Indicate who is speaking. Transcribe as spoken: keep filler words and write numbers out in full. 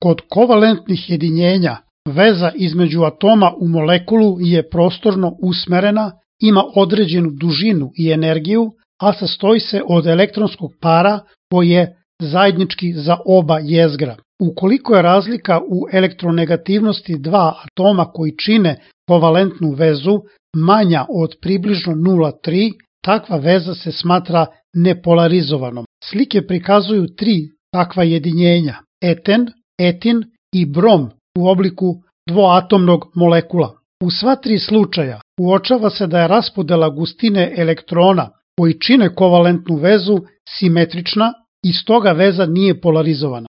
Speaker 1: Kod kovalentnih jedinjenja veza između atoma u molekulu je prostorno usmerena, ima određenu dužinu i energiju, a sastoji se od elektronskog para koji je zajednički za oba jezgra. Ukoliko je razlika u elektronegativnosti dva atoma koji čine kovalentnu vezu manja od približno nula zarez tri, takva veza se smatra nepolarizovanom. Slike prikazuju tri takva jedinjenja: eten, etin i brom u obliku dvoatomnog molekula. U sva tri slučaja uočava se da je raspodela gustine elektrona koji čine kovalentnu vezu simetrična i stoga veza nije polarizovana.